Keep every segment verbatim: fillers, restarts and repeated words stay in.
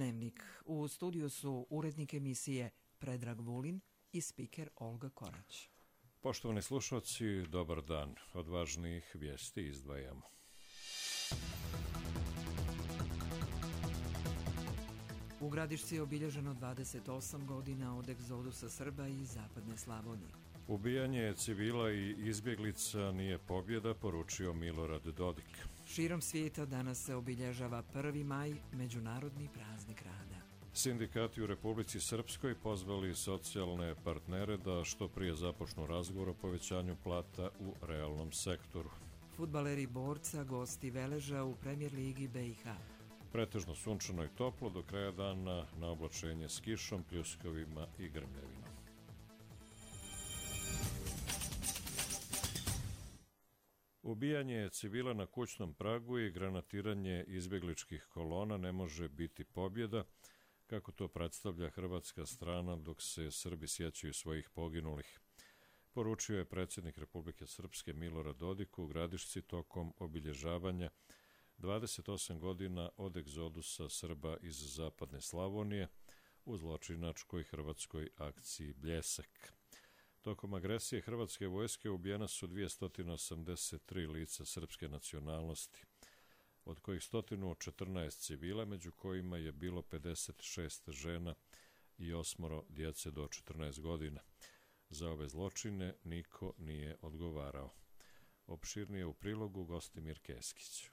Dnevnik. U studiju su urednik emisije Predrag Vulin i spiker Olga Korać. Poštovani slušalci, dobar dan. Od važnijih vijesti izdvajamo. U Gradišci je obilježeno dvadeset osam godina od egzodusa Srba iz zapadne Slavonije. Ubijanje civila i izbjeglica nije pobjeda, poručio Milorad Dodik. Širom svijeta danas se obilježava prvi maj, međunarodni praznik rada. Sindikati u Republici Srpskoj pozvali socijalne partnere da što prije započnu razgovor o povećanju plata u realnom sektoru. Fudbaleri Borca gosti Veleža u Premijer ligi B i H. Pretežno sunčano i toplo, do kraja dana na oblačenje s kišom, pljuskovima i grmljavinom. Ubijanje civila na kućnom pragu i granatiranje izbjegličkih kolona ne može biti pobjeda, kako to predstavlja hrvatska strana dok se Srbi sjećaju svojih poginulih. Poručio je predsjednik Republike Srpske Milorad Dodik u Gradišci tokom obilježavanja dvadeset osam godina od egzodusa Srba iz zapadne Slavonije u zločinačkoj hrvatskoj akciji Bljesak. Tokom agresije hrvatske vojske ubijena su dvjesto osamdeset tri lica srpske nacionalnosti, od kojih sto četrnaest civila, među kojima je bilo pedeset šest žena i osmoro djece do četrnaest godina. Za ove zločine niko nije odgovarao. Opširnije u prilogu Gostimir Keskić.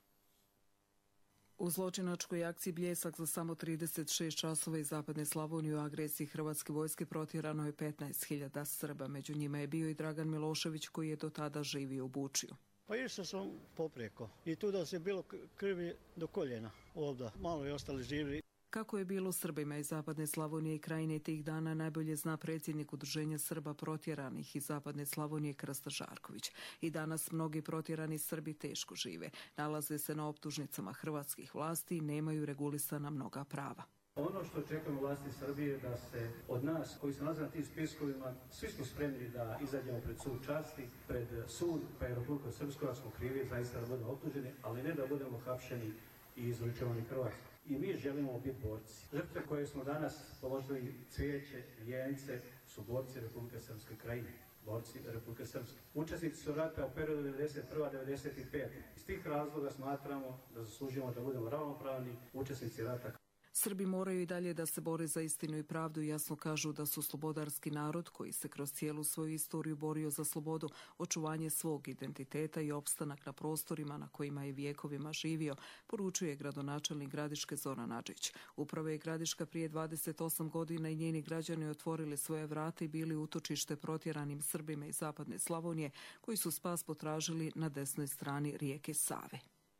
U zločinačkoj akciji Bljesak za samo trideset šest časova iz zapadne Slavonije u agresiji hrvatske vojske protjerano je petnaest hiljada Srba. Među njima je bio i Dragan Milošević koji je do tada živio u Bučiju. Pa išao sam poprijeko i tu da se bilo krvi do koljena ovdje. Malo je ostali živi. Kako je bilo Srbima iz zapadne Slavonije i Krajine tih dana najbolje zna predsjednik Udruženja Srba protjeranih iz zapadne Slavonije Krsta Žarković. I danas mnogi protjerani Srbi teško žive. Nalaze se na optužnicama hrvatskih vlasti i nemaju regulisana mnoga prava. Ono što čekamo vlasti Srbije da se od nas koji se nalaze na tim spiskovima, svi smo spremni da izađemo pred sud časti, pred sud, pa je Republika Srpska, ako smo krivi, zaista da budemo optuženi, ali ne da budemo hapšeni i izručevani Hrvatskoj. I mi želimo biti borci. Žrtve koje smo danas položili cvijeće, vijence, su borci Republike Srpske Krajine. Borci Republike Srpske. Učesnici su rata u periodu devedeset prva do devedeset peta. Iz tih razloga smatramo da zaslužujemo da budemo ravnopravni učesnici rata. Srbi moraju i dalje da se bore za istinu i pravdu i jasno kažu da su slobodarski narod koji se kroz cijelu svoju istoriju borio za slobodu, očuvanje svog identiteta i opstanak na prostorima na kojima je vijekovima živio, poručuje gradonačelnik Gradiške Zoran Adžić. Upravo je Gradiška prije dvadeset osam godina i njeni građani otvorili svoje vrata i bili utočište protjeranim Srbima iz zapadne Slavonije koji su spas potražili na desnoj strani rijeke Save.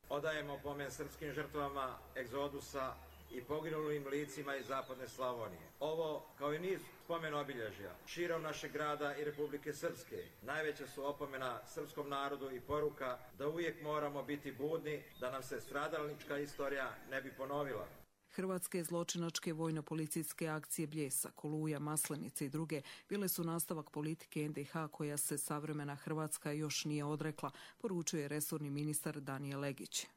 Odajemo pomen srpskim žrtvama egzodusa i poginulim licima iz zapadne Slavonije. Ovo, kao i niz spomen obilježja širom našeg grada i Republike Srpske, najveća su opomena srpskom narodu i poruka da uvijek moramo biti budni, da nam se stradalnička istorija ne bi ponovila. Hrvatske zločinačke vojno-policijske akcije Bljesak, Oluja, Maslenica i druge bile su nastavak politike en de ha koja se savremena Hrvatska još nije odrekla, poručuje resorni ministar Danijel Legić.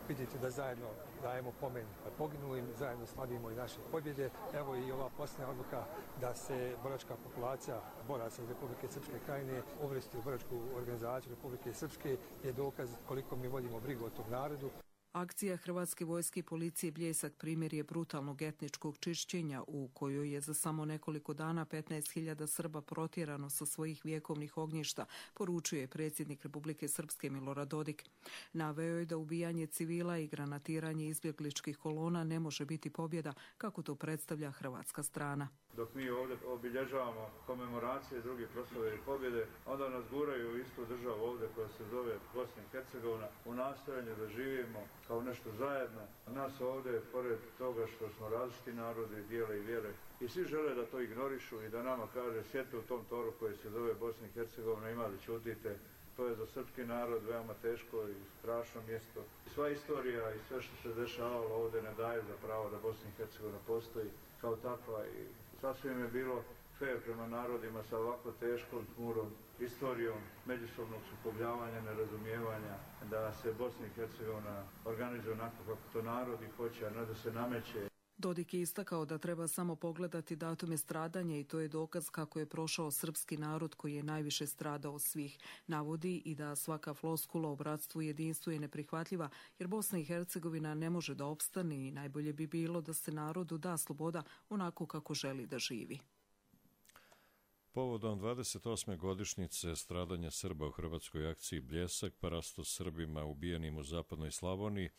Vidite da zajedno dajemo pomen poginulim, zajedno slavimo i naše pobjede. Evo i ova posljednja odluka da se boračka populacija boraca iz Republike Srpske Krajine uvrsti u boračku organizaciju Republike Srpske je dokaz koliko mi vodimo brigu o tom narodu. Akcija Hrvatske vojske i policije Bljesak primjer je brutalnog etničkog čišćenja u kojoj je za samo nekoliko dana petnaest hiljada Srba protjerano sa svojih vjekovnih ognjišta, poručuje predsjednik Republike Srpske Milorad Dodik. Naveo je da ubijanje civila i granatiranje izbjegličkih kolona ne može biti pobjeda, kako to predstavlja hrvatska strana. Dok mi ovdje obilježavamo komemoracije i druge proslave i pobjede, onda nas guraju u istu državu ovdje koja se zove Bosna i Hercegovina u nastojanju da živimo kao nešto zajedno. Nas ovdje, pored toga što smo različiti narodi, dijele i vjere, i svi žele da to ignorišu i da nama kaže sjedite u tom toru koji se zove Bosna i Hercegovina, ima da ćutite. To je za srpski narod veoma teško i strašno mjesto. Sva istorija i sve što se dešavalo ovdje ne daje za pravo da Bosna i Hercegovina postoji kao takva i sasvim je bilo fair prema narodima sa ovako teškom, tmurom, istorijom međusobnog sukobljavanja, nerazumijevanja, da se Bosna i Hercegovina organizuje onako kako to narodi hoće, a ne da se nameće. Dodik je istakao da treba samo pogledati datume stradanja i to je dokaz kako je prošao srpski narod koji je najviše stradao od svih. Navodi i da svaka floskula o bratstvu i jedinstvu je neprihvatljiva jer Bosna i Hercegovina ne može da opstane i najbolje bi bilo da se narodu da sloboda onako kako želi da živi. Povodom dvadeset osme godišnjice stradanja Srba u hrvatskoj akciji Bljesak, parasto Srbima ubijenim u zapadnoj Slavoniji,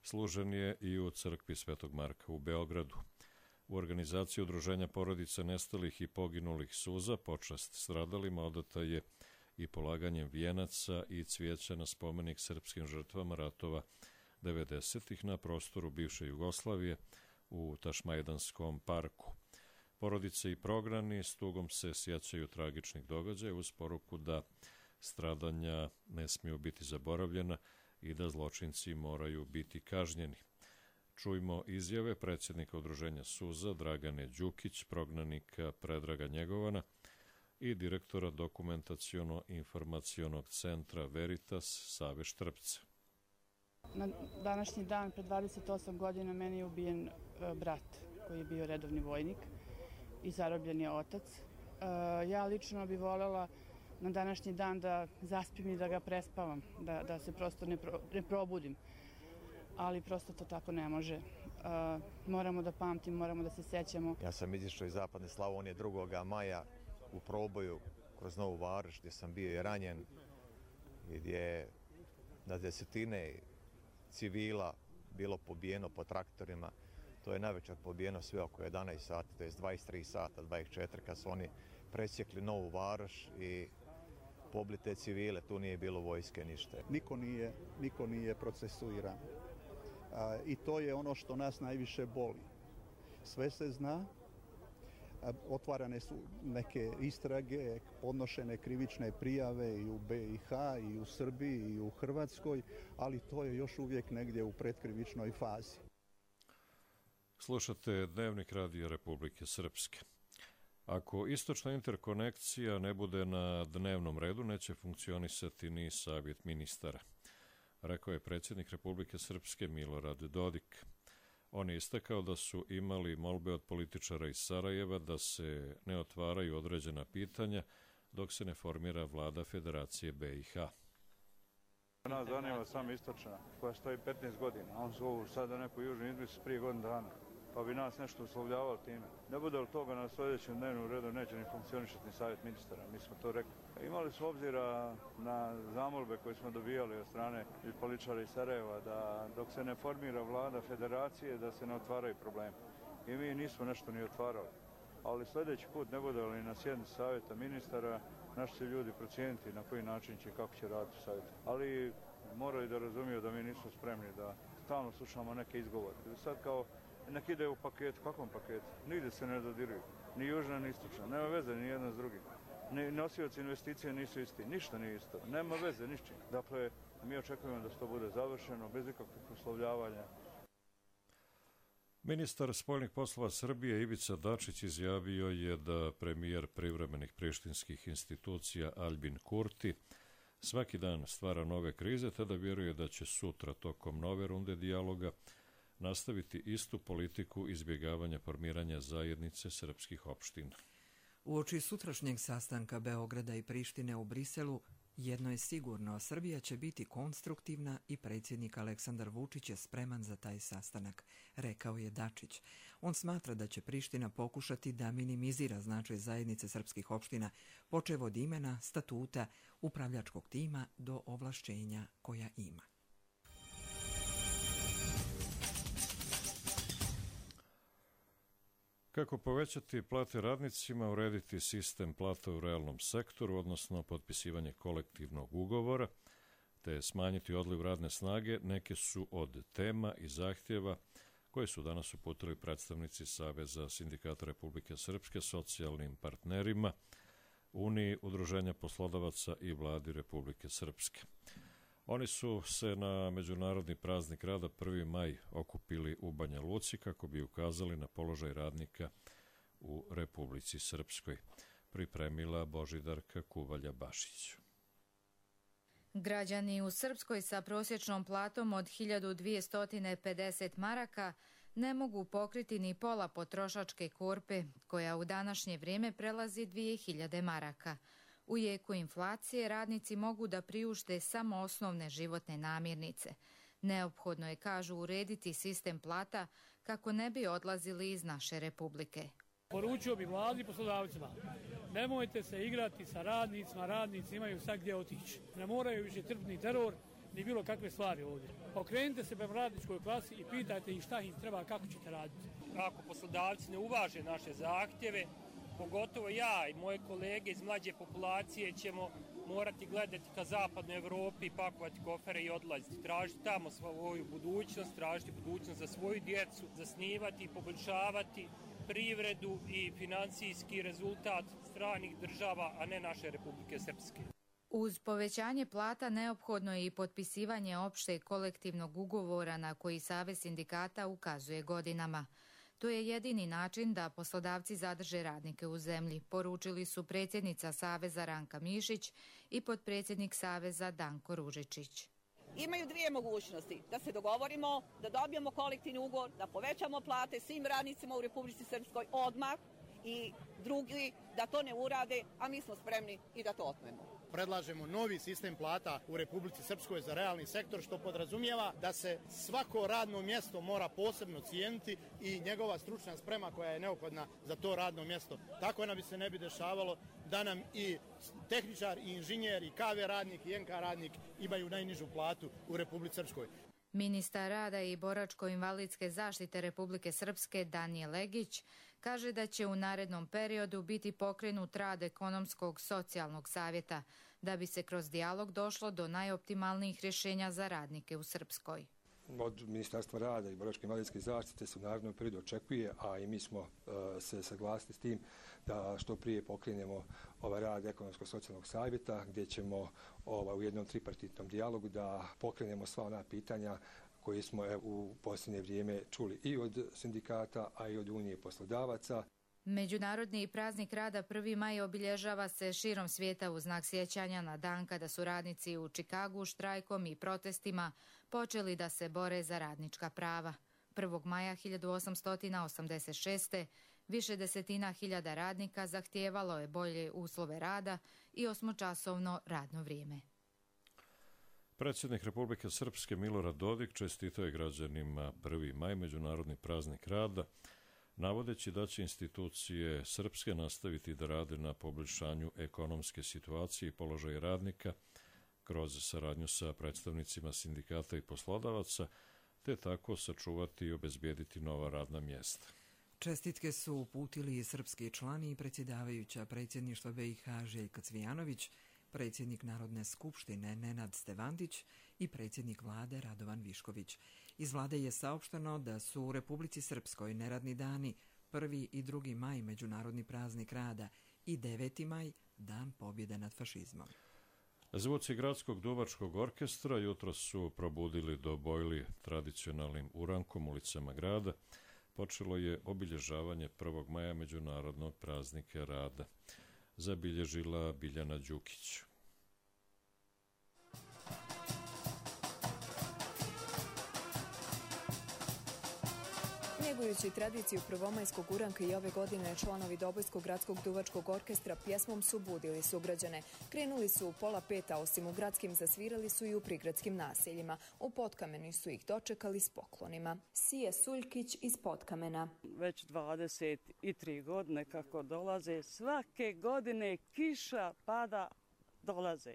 služen je i u crkvi Svetog Marka u Beogradu. U organizaciji Udruženja porodica nestalih i poginulih suza počast stradalima odata je i polaganjem vijenaca i cvijeća na spomenik srpskim žrtvama ratova devedesetih na prostoru bivše Jugoslavije u Tašmajdanskom parku. Porodice i prognani s tugom se sjećaju tragičnih događaja uz poruku da stradanja ne smiju biti zaboravljena i da zločinci moraju biti kažnjeni. Čujmo izjave predsjednika Udruženja suza Dragane Đukić, prognanika Predraga Njegovana i direktora dokumentaciono-informacionog centra Veritas Save Štrpca. Na današnji dan, pred dvadeset osam godina, meni je ubijen brat koji je bio redovni vojnik i zarobljen je otac. Ja lično bih voljela na današnji dan da zaspim i da ga prespavam, da, da se prosto ne, pro, ne probudim. Ali prosto to tako ne može. Uh, moramo da pamtimo, moramo da se sećamo. Ja sam izišao iz zapadne Slavonije drugoga maja u proboju kroz Novu Varoš gdje sam bio i ranjen i gdje je na desetine civila bilo pobijeno po traktorima. To je navečer pobijeno sve oko jedanaest sati, to je dvadeset tri sata, dvadeset četiri kad su oni presjekli Novu Varoš i pobili te civile, tu nije bilo vojske ništa. Niko nije, niko nije procesuiran. A, I to je ono što nas najviše boli. Sve se zna, a, otvarane su neke istrage, podnošene krivične prijave i u B i H, i u Srbiji, i u Hrvatskoj, ali to je još uvijek negdje u predkrivičnoj fazi. Slušate Dnevnik Radija Republike Srpske. Ako istočna interkonekcija ne bude na dnevnom redu, neće funkcionisati ni savjet ministara, rekao je predsjednik Republike Srpske Milorad Dodik. On je istakao da su imali molbe od političara iz Sarajeva da se ne otvaraju određena pitanja dok se ne formira vlada Federacije B i H. Nas zanima samo istočna, koja stoji petnaest godina, a on zovu sada neku južnu izmislu prije godinu dana, pa bi nas nešto uslovljavali time. Ne bude li toga na sljedećem dnevnom redu neće ni funkcionišati ni savjet ministara, mi smo to rekli. Imali su obzira na zamolbe koje smo dobijali od strane političara iz Sarajeva da dok se ne formira vlada Federacije da se ne otvaraju problemi. I mi nismo nešto ni otvarali. Ali sljedeći put ne bude li na sjednici savjeta ministara, naši će ljudi procijeniti na koji način će i kako će raditi savjet. Ali moraju da razumiju da mi nismo spremni da stalno slušamo neke izgovore. Sad kao nek ide u paketu, kakvom paketu? Nigdje se ne dodiruju, ni južna ni istočna, nema veze ni jedna s drugim. Ni nosioci investicije nisu isti, ništa nije isto, nema veze ničim. Dakle, mi očekujemo da to bude završeno bez ikakvih uslovljavanja. Ministar spoljnih poslova Srbije Ivica Dačić izjavio je da premijer privremenih prištinskih institucija Albin Kurti svaki dan stvara nove krize, te da vjeruje da će sutra tokom nove runde dijaloga nastaviti istu politiku izbjegavanja formiranja zajednice srpskih opština. Uoči sutrašnjeg sastanka Beograda i Prištine u Briselu, jedno je sigurno, Srbija će biti konstruktivna i predsjednik Aleksandar Vučić je spreman za taj sastanak, rekao je Dačić. On smatra da će Priština pokušati da minimizira značaj zajednice srpskih opština, počev od imena, statuta, upravljačkog tima do ovlašćenja koja ima. Kako povećati plate radnicima, urediti sistem plata u realnom sektoru, odnosno potpisivanje kolektivnog ugovora, te smanjiti odliv radne snage, neke su od tema i zahtjeva koje su danas uputili predstavnici Saveza sindikata Republike Srpske socijalnim partnerima, Uniji udruženja poslodavaca i Vladi Republike Srpske. Oni su se na Međunarodni praznik rada prvi maj okupili u Banja Luci kako bi ukazali na položaj radnika u Republici Srpskoj, pripremila Božidarka Kuvalja-Bašić. Građani u Srpskoj sa prosječnom platom od hiljadu dvjesto pedeset maraka ne mogu pokriti ni pola potrošačke korpe, koja u današnje vrijeme prelazi dvije hiljade maraka. U jeku inflacije radnici mogu da priušte samo osnovne životne namirnice. Neophodno je, kažu, urediti sistem plata kako ne bi odlazili iz naše republike. Poručio bi vladi i poslodavcima, nemojte se igrati sa radnicima, radnici imaju sad gdje otići. Ne moraju više trpiti teror ni bilo kakve stvari ovdje. Okrenite se prema radničkoj klasi i pitajte ih šta im treba, kako ćete raditi. Ako poslodavci ne uvaže naše zahtjeve, pogotovo ja i moje kolege iz mlađe populacije ćemo morati gledati ka zapadnoj Evropi, pakovati kofere i odlaziti. Tražiti tamo svoju budućnost, tražiti budućnost za svoju djecu, zasnivati i poboljšavati privredu i financijski rezultat stranih država, a ne naše Republike Srpske. Uz povećanje plata neophodno je i potpisivanje opšteg kolektivnog ugovora na koji Savez sindikata ukazuje godinama. To je jedini način da poslodavci zadrže radnike u zemlji, poručili su predsjednica Saveza Ranka Mišić i potpredsjednik Saveza Danko Ružičić. Imaju dvije mogućnosti, da se dogovorimo, da dobijemo kolektivni ugovor, da povećamo plate svim radnicima u Republici Srpskoj odmah, i drugi da to ne urade, a mi smo spremni i da to otmemo. Predlažemo novi sistem plata u Republici Srpskoj za realni sektor, što podrazumijeva da se svako radno mjesto mora posebno cijeniti i njegova stručna sprema koja je neophodna za to radno mjesto. Tako nam bi se ne bi dešavalo da nam i tehničar, i inženjer, i ka ve radnik, i en ka radnik imaju najnižu platu u Republici Srpskoj. Ministar rada i boračko-invalidske zaštite Republike Srpske Danijel Legić kaže da će u narednom periodu biti pokrenut rad ekonomskog socijalnog savjeta, da bi se kroz dijalog došlo do najoptimalnijih rješenja za radnike u Srpskoj. Od Ministarstva rada i boračko-invalidske zaštite se u narednom periodu očekuje, a i mi smo uh, se saglasili s tim da što prije pokrenemo ovaj rad ekonomskog socijalnog savjeta, gdje ćemo ovaj, u jednom tripartitnom dijalogu da pokrenemo sva ona pitanja koje smo e, u posljednje vrijeme čuli i od sindikata, a i od Unije poslodavaca. Međunarodni praznik rada prvi maj obilježava se širom svijeta u znak sjećanja na dan kada su radnici u Čikagu štrajkom i protestima počeli da se bore za radnička prava. prvog maja hiljadu osamsto osamdeset šeste. više desetina hiljada radnika zahtijevalo je bolje uslove rada i osmočasovno radno vrijeme. Predsjednik Republike Srpske Milorad Dodik čestitao je građanima prvi maj, međunarodni praznik rada, navodeći da će institucije srpske nastaviti da rade na poboljšanju ekonomske situacije i položaja radnika kroz saradnju sa predstavnicima sindikata i poslodavaca, te tako sačuvati i obezbijediti nova radna mjesta. Čestitke su uputili i srpski člani i predsjedavajuća predsjedništva be i ha Željka Cvijanović, predsjednik Narodne skupštine Nenad Stevandić i predsjednik vlade Radovan Višković. Iz vlade je saopšteno da su u Republici Srpskoj neradni dani prvi i drugi maj međunarodni praznik rada i deveti maj dan pobjede nad fašizmom. Zvuci Gradskog duvačkog orkestra jutro su probudili do bojli tradicionalnim urankom ulicama grada. Počelo je obilježavanje prvog maja međunarodnog praznika rada. Zabilježila Biljana Đukić. Njegujući tradiciju prvomajskog uranka i ove godine članovi Dobojskog gradskog duvačkog orkestra pjesmom su budili sugrađane. Krenuli su u pola peta, osim u gradskim zasvirali su i u prigradskim naseljima. U Potkamenu su ih dočekali s poklonima. Sije Suljkić iz Potkamena. Već dvadeset tri godine kako dolaze, svake godine kiša pada, dolaze.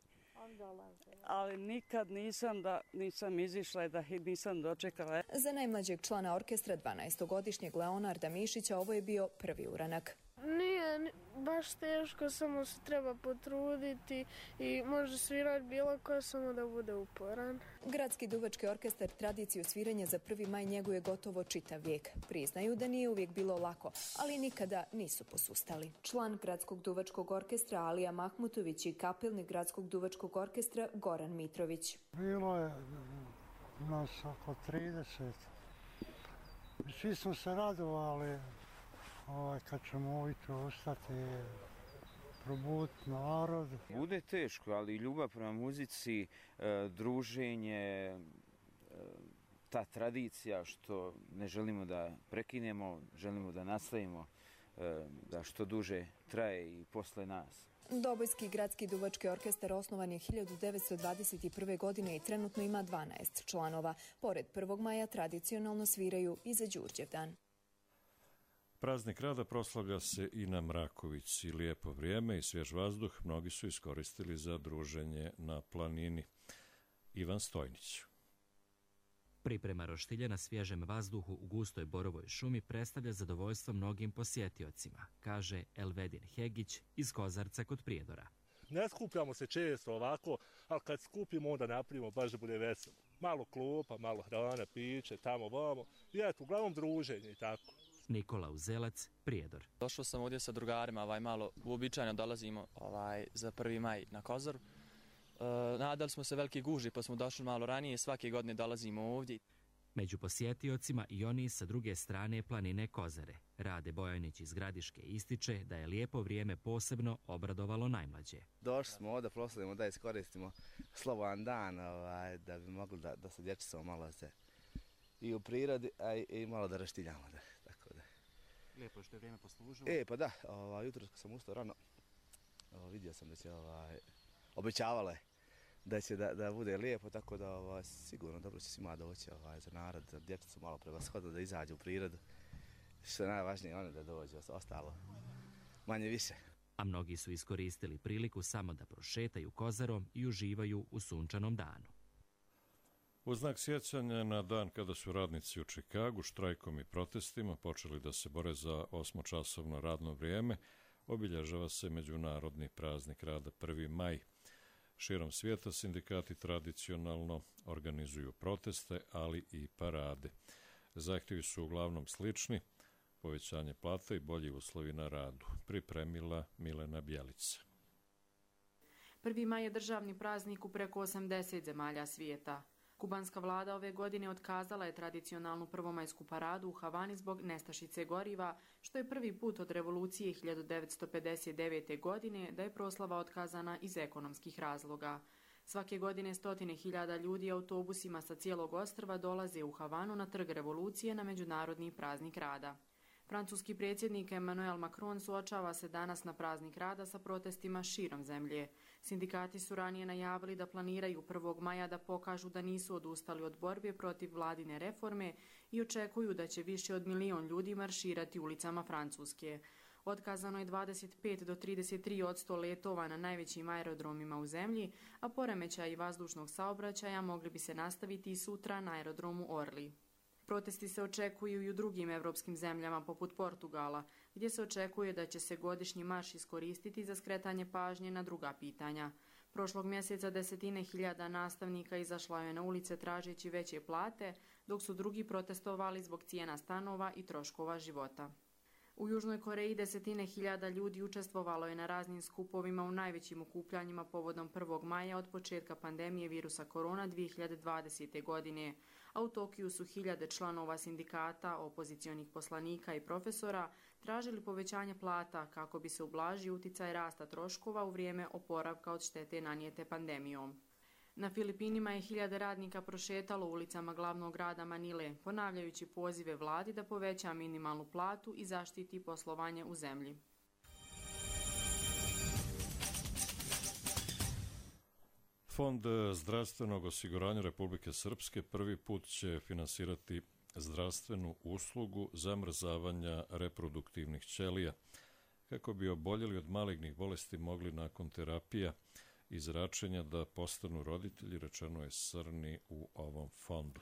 Ali nikad nisam da nisam izišla i da nisam dočekala. Za najmlađeg člana orkestra, dvanaestogodišnjeg Leonarda Mišića, ovo je bio prvi uranak. Nije baš teško, samo se treba potruditi i može svirati bilo ko, samo da bude uporan. Gradski duvački orkestar tradiciju sviranja za prvi maj njeguje gotovo čitav vijek. Priznaju da nije uvijek bilo lako, ali nikada nisu posustali. Član Gradskog duvačkog orkestra Alija Mahmutović i kapelnik Gradskog duvačkog orkestra Goran Mitrović. Bilo je nas oko trideset. Svi smo se radovali ovaj, kad ćemo ujutro ustati, probuditi narod. Bude teško, ali ljubav prema muzici, druženje, ta tradicija što ne želimo da prekinemo, želimo da nastavimo, da što duže traje i posle nas. Dobojski gradski duvački orkestar osnovan je hiljadu devetsto dvadeset prve. godine i trenutno ima dvanaest članova. Pored prvog maja tradicionalno sviraju i za Đurđevdan. Praznik rada proslavlja se i na Mrakovici. Lijepo vrijeme i svjež vazduh mnogi su iskoristili za druženje na planini. Ivan Stojnić. Priprema roštilja na svježem vazduhu u gustoj borovoj šumi predstavlja zadovoljstvo mnogim posjetiocima, kaže Elvedin Hegić iz Kozarca kod Prijedora. Ne skupljamo se često ovako, ali kad skupimo onda napravimo baš da bude veselo. Malo klupa, malo hrana, piće, tamo vamo i eto, uglavnom druženje i tako. Nikola Uzelac, Prijedor. Došao sam ovdje sa drugarima, ovaj, malo uobičajeno dolazimo ovaj, za prvi maj na Kozar. E, nadali smo se veliki gužvi pa smo došli malo ranije, svake godine dolazimo ovdje. Među posjetiocima i oni sa druge strane planine Kozare. Rade Bojanić iz Gradiške ističe da je lijepo vrijeme posebno obradovalo najmlađe. Došli smo ovdje, proslavimo da iskoristimo slobodan dan, ovaj, da bi mogli da, da se dječicama malo se i u prirodi, a i, i malo da raštiljamo. Da, tako da. Lijepo je što je vrijeme poslužilo. E, pa da, ovaj, jutro sam ustao rano, ovaj, vidio sam da će, ovaj, obećavalo je da će da, da bude lijepo, tako da ovaj, sigurno dobro će svima doći ovaj, za narod, za dječicu malo prevashodno da izađe u prirodu. Što je najvažnije, one da dođe, ostalo manje više. A mnogi su iskoristili priliku samo da prošetaju Kozarom i uživaju u sunčanom danu. U znak sjećanja na dan kada su radnici u Čikagu štrajkom i protestima počeli da se bore za osmočasovno radno vrijeme, obilježava se Međunarodni praznik rada prvi maj. Širom svijeta sindikati tradicionalno organizuju proteste, ali i parade. Zahtjevi su uglavnom slični, povećanje plata i bolji uslovi na radu. Pripremila Milena Bjelica. prvi maj je državni praznik u preko osamdeset zemalja svijeta. Kubanska vlada ove godine otkazala je tradicionalnu prvomajsku paradu u Havani zbog nestašice goriva, što je prvi put od revolucije hiljadu devetsto pedeset devete. godine da je proslava otkazana iz ekonomskih razloga. Svake godine stotine hiljada ljudi autobusima sa cijelog ostrva dolaze u Havanu na trg revolucije na Međunarodni praznik rada. Francuski predsjednik Emmanuel Macron suočava se danas na praznik rada sa protestima širom zemlje. Sindikati su ranije najavili da planiraju prvog maja da pokažu da nisu odustali od borbe protiv vladine reforme i očekuju da će više od milion ljudi marširati ulicama Francuske. Otkazano je dvadeset pet do trideset tri posto letova na najvećim aerodromima u zemlji, a poremećaji vazdušnog saobraćaja mogli bi se nastaviti i sutra na aerodromu Orly. Protesti se očekuju i u drugim evropskim zemljama poput Portugala, gdje se očekuje da će se godišnji marš iskoristiti za skretanje pažnje na druga pitanja. Prošlog mjeseca desetine hiljada nastavnika izašlo je na ulice tražeći veće plate, dok su drugi protestovali zbog cijena stanova i troškova života. U Južnoj Koreji desetine hiljada ljudi učestvovalo je na raznim skupovima u najvećim okupljanjima povodom prvog maja od početka pandemije virusa korona dvije hiljade dvadesete. godine, a u Tokiju su hiljade članova sindikata, opozicionih poslanika i profesora tražili povećanje plata kako bi se ublažio uticaj rasta troškova u vrijeme oporavka od štete nanijete pandemijom. Na Filipinima je hiljade radnika prošetalo ulicama glavnog grada Manile, ponavljajući pozive vladi da poveća minimalnu platu i zaštiti poslovanje u zemlji. Fond zdravstvenog osiguranja Republike Srpske prvi put će finansirati zdravstvenu uslugu zamrzavanja reproduktivnih ćelija, kako bi oboljeli od malignih bolesti mogli nakon terapija i zračenja da postanu roditelji, rečeno je Srni u ovom fondu.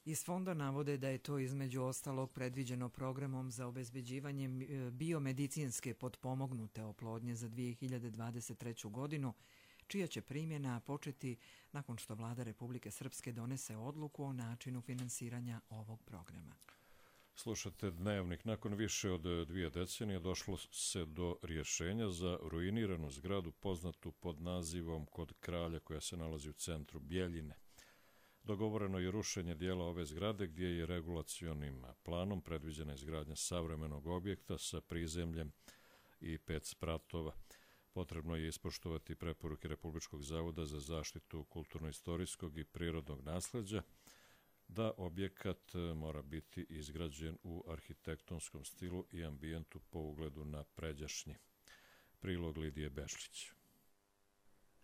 Iz fonda navode da je to između ostalog predviđeno programom za obezbeđivanje biomedicinske potpomognute oplodnje za dvije hiljade dvadeset treću. godinu, čija će primjena početi nakon što vlada Republike Srpske donese odluku o načinu finansiranja ovog programa. Slušate Dnevnik. Nakon više od dvije decenije došlo se do rješenja za ruiniranu zgradu poznatu pod nazivom Kod kralja, koja se nalazi u centru Bjeljine. Dogovoreno je rušenje dijela ove zgrade gdje je regulacionim planom predviđena izgradnja savremenog objekta sa prizemljem i pet spratova. Potrebno je ispoštovati preporuke Republičkog zavoda za zaštitu kulturno-istorijskog i prirodnog nasleđa, da objekat mora biti izgrađen u arhitektonskom stilu i ambijentu po ugledu na pređašnji. Prilog Lidije Bešlić.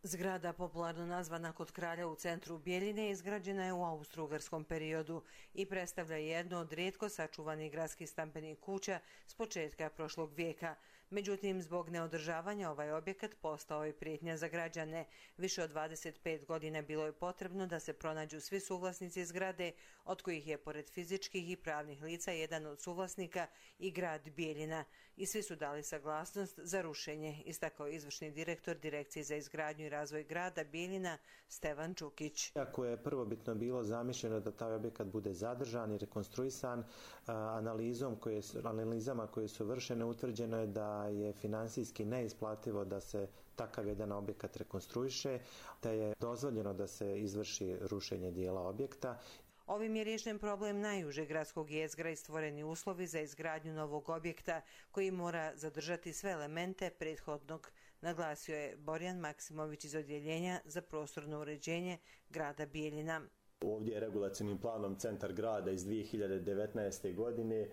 Zgrada, popularno nazvana Kod kralja u centru Bjeljine, izgrađena je u austro-ugarskom periodu i predstavlja jednu od rijetko sačuvanih gradskih stambenih kuća s početka prošlog vijeka. Međutim, zbog neodržavanja ovaj objekat postao je prijetnja za građane. Više od dvadeset pet godina bilo je potrebno da se pronađu svi suvlasnici zgrade, od kojih je pored fizičkih i pravnih lica jedan od suvlasnika i grad Bjeljina. I svi su dali saglasnost za rušenje, istakao izvršni direktor Direkcije za izgradnju i razvoj grada Bjeljina Stevan Čukić. Ako je prvobitno bilo zamišljeno da taj objekat bude zadržan i rekonstruisan, analizom koje, analizama koje su vršene utvrđeno je da je finansijski neisplativo da se takav jedan objekat rekonstruiše, da je dozvoljeno da se izvrši rušenje dijela objekta. Ovim je riješen problem najužeg gradskog jezgra i stvoreni uslovi za izgradnju novog objekta koji mora zadržati sve elemente prethodnog, naglasio je Borjan Maksimović iz Odjeljenja za prostorno uređenje grada Bjeljina. Ovdje je regulacionim planom centar grada iz dvije hiljade devetnaeste. godine e,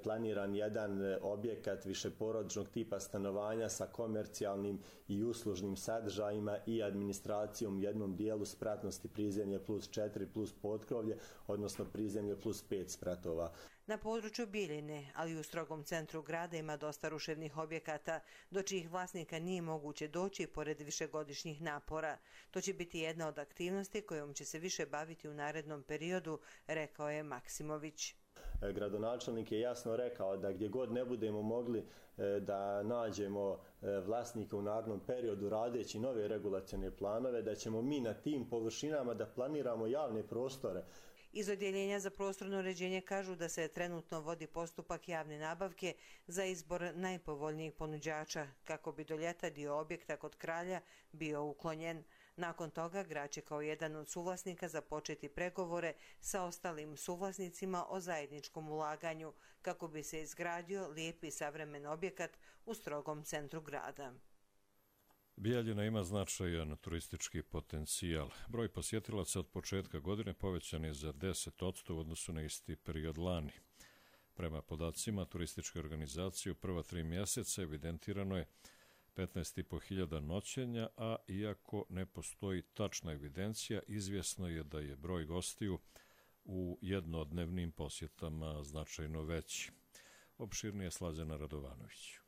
planiran jedan objekat višeporodičnog tipa stanovanja sa komercijalnim i uslužnim sadržajima i administracijom u jednom dijelu spratnosti prizemlje plus četiri plus potkrovlje, odnosno prizemlje plus pet spratova. Na području Bjeljine, ali i u strogom centru grada ima dosta ruševnih objekata, do čijih vlasnika nije moguće doći pored višegodišnjih napora. To će biti jedna od aktivnosti kojom će se više baviti u narednom periodu, rekao je Maksimović. Gradonačelnik je jasno rekao da gdje god ne budemo mogli da nađemo vlasnika u narednom periodu radeći nove regulacione planove, da ćemo mi na tim površinama da planiramo javne prostore. Iz Odjeljenja za prostorno uređenje kažu da se trenutno vodi postupak javne nabavke za izbor najpovoljnijih ponuđača, kako bi do ljeta dio objekta Kod kralja bio uklonjen. Nakon toga grad će kao jedan od suvlasnika započeti pregovore sa ostalim suvlasnicima o zajedničkom ulaganju, kako bi se izgradio lijepi savremen objekat u strogom centru grada. Bjeljina ima značajan turistički potencijal. Broj posjetilaca od početka godine povećan je za deset posto u odnosu na isti period lani. Prema podacima turističke organizacije u prva tri mjeseca evidentirano je petnaest i po hiljada noćenja, a iako ne postoji tačna evidencija, izvjesno je da je broj gostiju u jednodnevnim posjetama značajno veći. Opširnije Slađana Radovanović.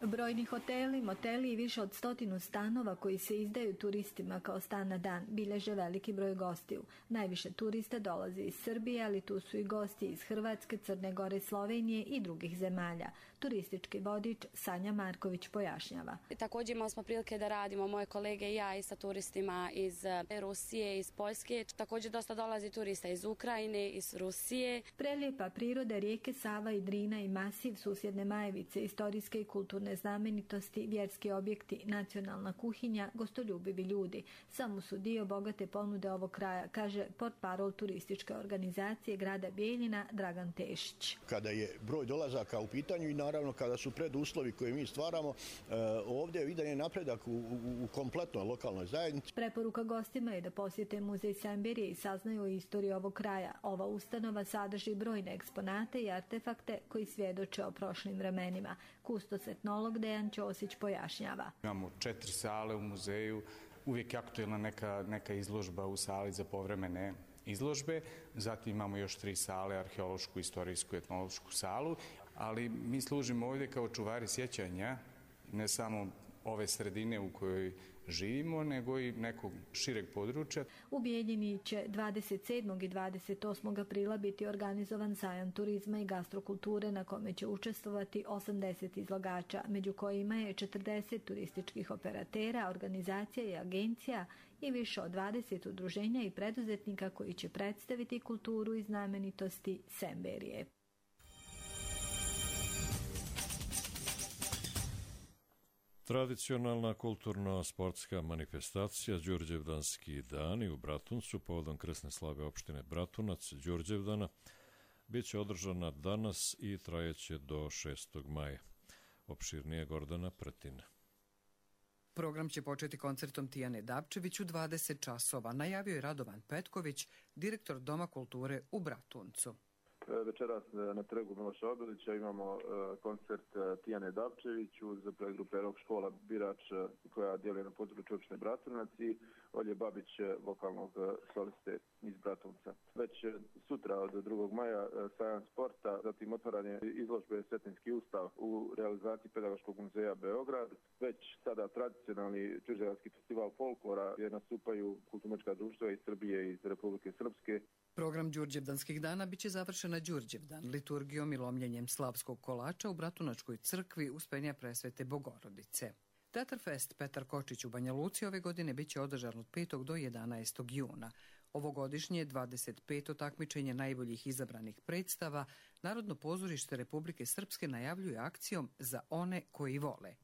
Brojni hoteli, moteli i više od stotinu stanova koji se izdaju turistima kao stan na dan bilježe veliki broj gostiju. Najviše turista dolazi iz Srbije, ali tu su i gosti iz Hrvatske, Crne Gore, Slovenije i drugih zemalja. Turistički vodič Sanja Marković pojašnjava. Također imali smo prilike da radimo, moje kolege i ja, i sa turistima iz Rusije, iz Poljske. Također dosta dolazi turista iz Ukrajine, iz Rusije. Prelijepa priroda, rijeke Sava i Drina i masiv susjedne Majevice, istorijske i kulturne znamenitosti, vjerski objekti, nacionalna kuhinja, gostoljubivi ljudi. Samo su dio bogate ponude ovog kraja, kaže portparol turističke organizacije grada Bjeljina Dragan Tešić. Kada je broj dolazaka u pitanju i naravno kada su preduslovi koje mi stvaramo, ovdje vidan je napredak u, u, u kompletnoj lokalnoj zajednici. Preporuka gostima je da posjete muzej Semberije i saznaju o istoriji ovog kraja. Ova ustanova sadrži brojne eksponate i artefakte koji svjedoče o prošlim vremenima. Kustos etnolog Dejan Ćosić pojašnjava. Imamo četiri sale u muzeju, uvijek je aktuelna neka, neka izložba u sali za povremene izložbe, zatim imamo još tri sale, arheološku, istorijsku, etnološku salu, ali mi služimo ovdje kao čuvari sjećanja, ne samo ove sredine u kojoj živimo, nego i nekog šireg područja. U Bijeljini će dvadeset sedmog i dvadeset osmog aprila biti organizovan sajam turizma i gastrokulture na kome će učestvovati osamdeset izlagača, među kojima je četrdeset turističkih operatera, organizacija i agencija i više od dvadeset udruženja i preduzetnika koji će predstaviti kulturu i znamenitosti Semberije. Tradicionalna kulturno-sportska manifestacija Đurđevdanski dani u Bratuncu povodom krsne slave opštine Bratunac Đurđevdana bit će održana danas i trajeće do šestog maja. Opširnije Gordana Pretina. Program će početi koncertom Tijane Dapčević u dvadeset časova, najavio je Radovan Petković, direktor Doma kulture u Bratuncu. Večeras na trgu Miloša Obilića imamo koncert Tijane Dapčević uz predgrupe Rock škola Birač koja djeluje na području opštine Bratunac i Olje Babić, vokalnog soliste iz Bratunca. Već sutra od drugog maja sajam sporta, zatim otvaranje izložbe Cetinski ustav u realizaciji Pedagoškog muzeja Beograd. Već sada tradicionalni Đurđevdanski festival folklora gdje nastupaju kulturno-umjetnička društva iz Srbije i iz Republike Srpske. Program Đurđevdanskih dana biće završen na Đurđevdan, liturgijom i lomljenjem slavskog kolača u Bratunačkoj crkvi Uspenja Presvete Bogorodice. Teatar Fest Petar Kočić u Banja Luci ove godine biće održan od petog do jedanaestog juna. Ovogodišnje dvadeset peto takmičenje najboljih izabranih predstava Narodno pozorište Republike Srpske najavljuje akcijom Za one koji vole.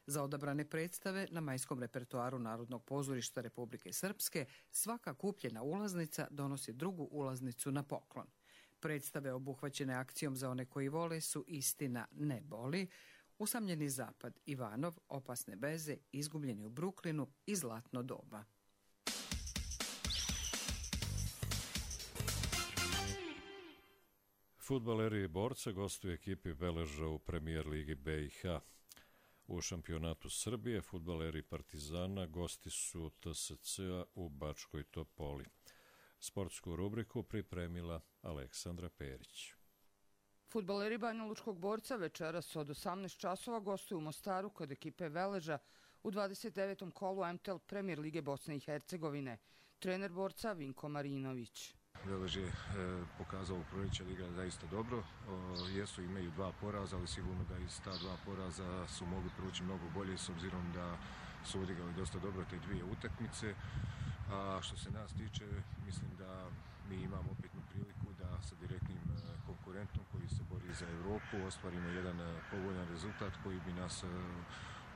Za odabrane predstave na majskom repertoaru Narodnog pozorišta Republike Srpske svaka kupljena ulaznica donosi drugu ulaznicu na poklon. Predstave obuhvaćene akcijom Za one koji vole su Istina ne boli, Usamljeni zapad, Ivanov, Opasne veze, Izgubljeni u Bruklinu i Zlatno doba. Fudbaleri Borca gostuju ekipi Veleža u premijer ligi B i H. U šampionatu Srbije fudbaleri Partizana gosti su T S C-a u Bačkoj Topoli. Sportsku rubriku pripremila Aleksandra Perić. Fudbaleri Banjalučkog Borca večeras od osamnaest časova gostuju u Mostaru kod ekipe Veleža u dvadeset devetom kolu M T L Premijer lige Bosne i Hercegovine. Trener Borca Vinko Marinović. Velež je e, pokazao u proljeće da igra zaista dobro. O, jesu imaju dva poraza, ali sigurno da iz ta dva poraza su mogli proći mnogo bolje s obzirom da su odigrali dosta dobro te dvije utakmice. A što se nas tiče, mislim da mi imamo opetnu priliku da sa direktnim konkurentom koji se bori za Europu ostvarimo jedan povoljan rezultat koji bi nas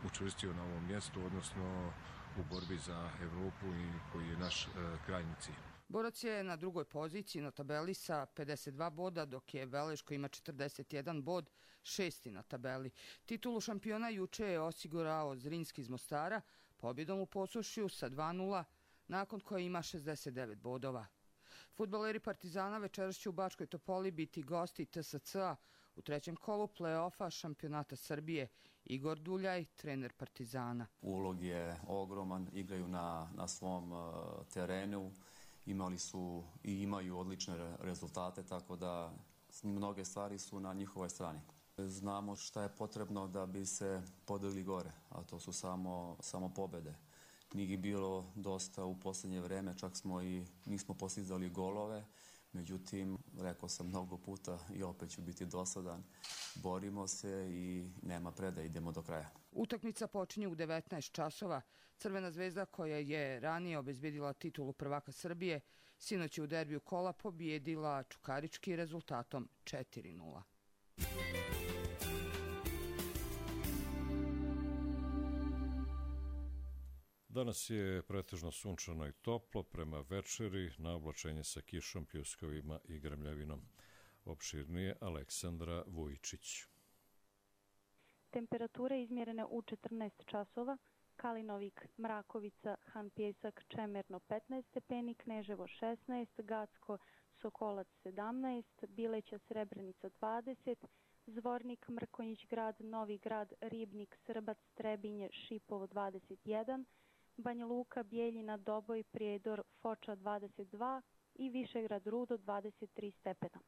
učvrstio na ovom mjestu, odnosno u borbi za Europu i koji je naš krajnji cilj. Borac je na drugoj poziciji na tabeli sa pedeset dva boda, dok je Velež koji ima četrdeset jedan bod, šesti na tabeli. Titulu šampiona juče je osigurao Zrinski iz Mostara pobjedom u Posušju sa dva nula, nakon koje ima šezdeset devet bodova. Fudbaleri Partizana večeras će u Bačkoj Topoli biti gosti T S C-a u trećem kolu play-offa šampionata Srbije. Igor Duljaj, trener Partizana. Ulog je ogroman, igraju na, na svom uh, terenu, imali su i imaju odlične rezultate, tako da mnoge stvari su na njihovoj strani. Znamo šta je potrebno da bi se podigli gore, a to su samo, samo pobjede. Nije bilo dosta u posljednje vreme, čak smo i nismo postizali golove, međutim, rekao sam mnogo puta i opet ću biti dosadan, borimo se i nema predaje, idemo do kraja. Utakmica počinje u devetnaest časova. Crvena zvezda koja je ranije obezbjedila titulu prvaka Srbije, sinoć je u derbiju kola pobijedila Čukarički rezultatom četiri nula. Danas je pretežno sunčano i toplo, prema večeri na oblačenje sa kišom, pljuskovima i grmljavinom. Opširnije Aleksandra Vujičić. Temperature izmjerene u četrnaest časova, Kalinovik, Mrakovica, Han Pjesak, Čemerno petnaest stepeni, Kneževo šesnaest, Gacko, Sokolac sedamnaest, Bileća, Srebrenica dvadeset, Zvornik, Mrkonjić grad, Novi grad, Ribnik, Srbac, Trebinje, Šipovo dvadeset jedan, Banja Luka, Bijeljina, Doboj, Prijedor, Foča dvadeset dva i Višegrad, Rudo dvadeset tri stepena.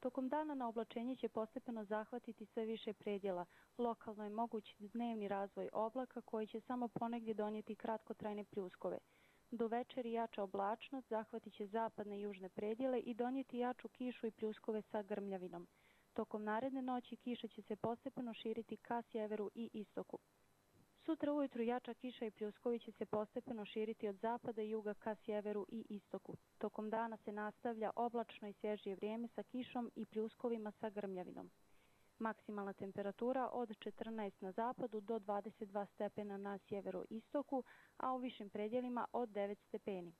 Tokom dana na oblačenje će postepeno zahvatiti sve više predjela. Lokalno je moguć dnevni razvoj oblaka koji će samo ponegdje donijeti kratkotrajne pljuskove. Do večeri jača oblačnost zahvatit će zapadne i južne predjele i donijeti jaču kišu i pljuskove sa grmljavinom. Tokom naredne noći kiša će se postepeno širiti ka sjeveru i istoku. Sutra ujutru jača kiša i pljuskovi će se postepeno širiti od zapada i juga ka sjeveru i istoku. Tokom dana se nastavlja oblačno i svježije vrijeme sa kišom i pljuskovima sa grmljavinom. Maksimalna temperatura od četrnaest na zapadu do dvadeset dva stepena na sjeveroistoku, a u višim predjelima od devet stepeni.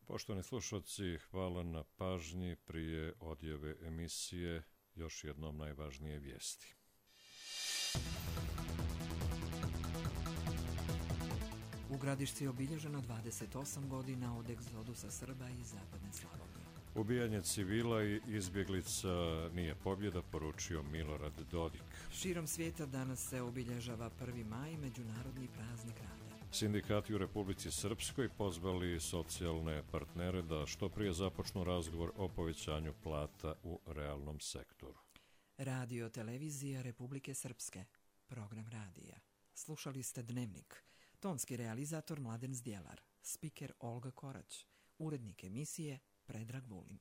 Poštovani slušalci, hvala na pažnji. Prije odjave emisije još jednom najvažnije vijesti. U Gradišci je obilježeno dvadeset osam godina od egzodusa Srba iz zapadne Slavonije. Ubijanje civila i izbjeglica nije pobjeda, poručio Milorad Dodik. Širom svijeta danas se obilježava prvi maj, međunarodni praznik rada. Sindikati u Republici Srpskoj pozvali socijalne partnere da što prije započnu razgovor o povećanju plata u realnom sektoru. Radio televizija Republike Srpske. Program radija. Slušali ste Dnevnik. Tonski realizator Mladen Zdjelar. Spiker Olga Korać. Urednik emisije Predrag Vulin.